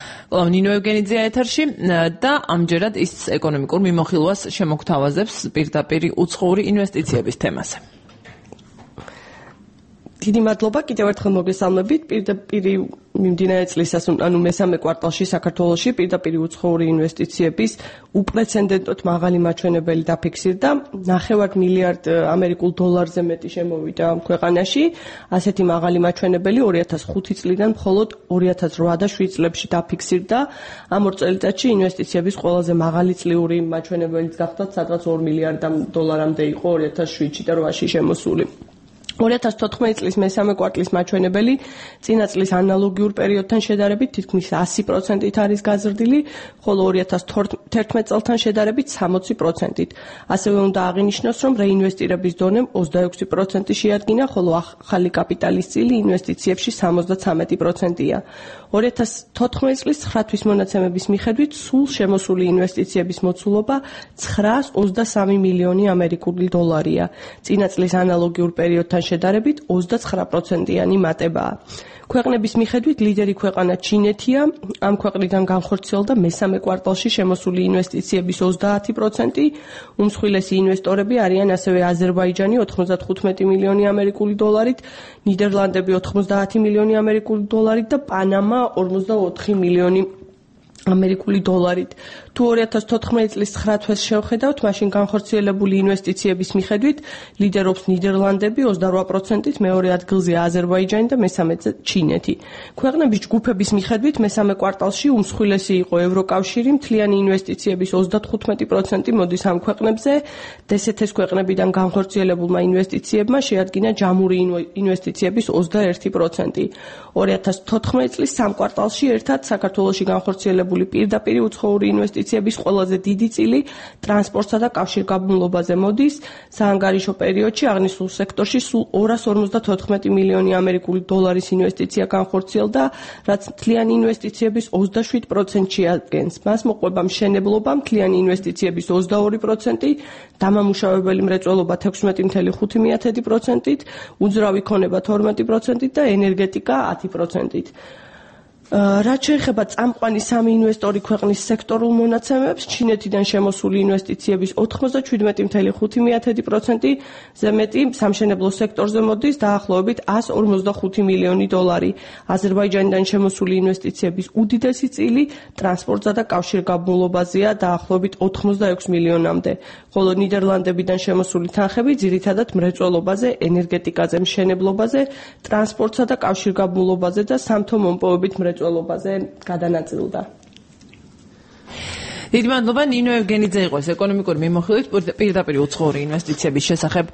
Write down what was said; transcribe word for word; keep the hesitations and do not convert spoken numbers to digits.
კვლავ ნინო ევგენიძეა ეთერში და ამჯერად ის ეკონომიკურ მიმოხილვას შემოგთავაზებს პირდაპირი უცხოური ინვესტიციების თემაზე. დიდი მადლობა, კიდევ ერთხელ მოგესალმებით. პირდაპირი მიმდინარე წლის ანუ მესამე კვარტალში საქართველოში პირდაპირი უცხოური ინვესტიციების უპრეცედენტოდ მაღალი მაჩვენებელი დაფიქსირდა. ნახევარ მილიარდ ამერიკულ დოლარზე მეტი შემოვიდა ქვეყანაში. ასეთი მაღალი მაჩვენებელი ორი ათას ხუთი წლიდან მხოლოდ ორი ათას რვა და შვიდ წლებში დაფიქსირდა. ამ ორ წელიწადში ინვესტიციების ყველაზე მაღალი წლიური მაჩვენებელიც გახდათ, სადღაც ორ მილიარდ დოლარამდე იყო ორი ათას შვიდში და რვაში შემოსული. ორი ათას თოთხმეტი წლის მესამე კვარტლის მაჩვენებელი წინა წლის ანალოგიურ პერიოდთან შედარებით თითქმის ასი პროცენტით არის გაზრდილი, ხოლო ორი ათას თერთმეტ წელთან შედარებით სამოცი პროცენტით. ასევე უნდა აღინიშნოს, რომ რეინვესტირების დონემ ოცდაექვსი პროცენტი შეადგინა, ხოლო ახალი კაპიტალის წილი ინვესტიციებში სამოცდათვრამეტი პროცენტია. ორი ათას თოთხმეტი წლის ცხრა თვის მონაცემების მიხედვით სულ შემოსული ინვესტიციების მოცულობა ცხრაას ოცდასამი მილიონი ამერიკული დოლარია. წინა წლის ანალოგიურ პერიოდთან შედარებით ოცდაცხრა პროცენტიანი მატებაა. ქვეყნების მიხედვით ლიდერი ქვეყანა ჩინეთია, ამ ქვეყნიდან განხორციელდა მესამე კვარტალში შემოსული ინვესტიციების ოცდაათი პროცენტი, უმსხვილესი ინვესტორები არიან ასევე აზერბაიჯანი ოთხმოცდათხუთმეტი მილიონი ამერიკული დოლარით, ნიდერლანდები ოთხმოცდაათი მილიონი ამერიკული დოლარით და პანამა ორმოცდაოთხი მილიონი ამერიკული დოლარით. თუ ორი ათას თოთხმეტი წლის ცხრა თვეს შევხედავთ, მაშინ განხორციელებული ინვესტიციების მიხედვით ლიდერობს ნიდერლანდები ოცდარვა პროცენტით, მეორე ადგილზეა აზერბაიჯანი და მესამეზე ჩინეთი. ქვეყნების ჯგუფების მიხედვით მესამე კვარტალში უმსხვილესი იყო ევროკავშირი, მთლიანი ინვესტიციების ოცდათხუთმეტი პროცენტი მოდის ამ ქვეყნებზე, დსთ-ს ქვეყნებიდან განხორციელებულმა ინვესტიციებმა შეადგინა ჯამური ინვესტიციების ოცდაერთი პროცენტი. ორი ათას თოთხმეტი წლის სამ კვარტალში ერთად საქართველოში განხორციელებული პირდაპირი უცხოური ინვესტიციების ყველაზე დიდი წილი ტრანსპორტსა და კავშირგაბმულობაზე მოდის. საანგარიშო პერიოდში აღნიშნულ სექტორში სულ ორას ორმოცდათოთხმეტი მილიონი ამერიკული დოლარის ინვესტიცია განხორციელდა, რაც მთლიანი ინვესტიციების ოცდაშვიდ პროცენტს შეადგენს. მას მოყვება მშენებლობა, მთლიანი ინვესტიციების ოცდაორი პროცენტი, დამამუშავებელი მრეწველობა თექვსმეტი მცდე ხუთი პროცენტით, უძრავი ქონება თორმეტი პროცენტით და ენერგეტიკა ათი პროცენტით. რაც შეეხება წამყვანი სამი ინვესტორი ქვეყნის სექტორულ მონაცემებს, ჩინეთიდან შემოსული ინვესტიციების ოთხმოცდაშვიდმეტი მცდე ხუთი პროცენტი-ზე მეტი სამშენებლო სექტორზე მოდის, დაახლოებით ასს ორმოცდახუთი მილიონი დოლარი. აზერბაიჯანიდან შემოსული ინვესტიციების უდიდესი წილი ტრანსპორტსა და კავშირგაბმულობაზეა, დაახლოებით ოთხმოცდაექვსი მილიონამდე, ხოლო ნიდერლანდებიდან შემოსული თანხები ძირითადად მრეწველობაზე, ენერგეტიკაზე, მშენებლობაზე, ტრანსპორტსა და კავშირგაბმულობაზე და სამთო მომპოვებით მრეწველობაზე გადანაწილდა. დიდი მადლობა, ნინო ევგენიძე იყო ეს ეკონომიკური მიმოხილვით პირდაპირი უცხოური ინვესტიციების შესახებ.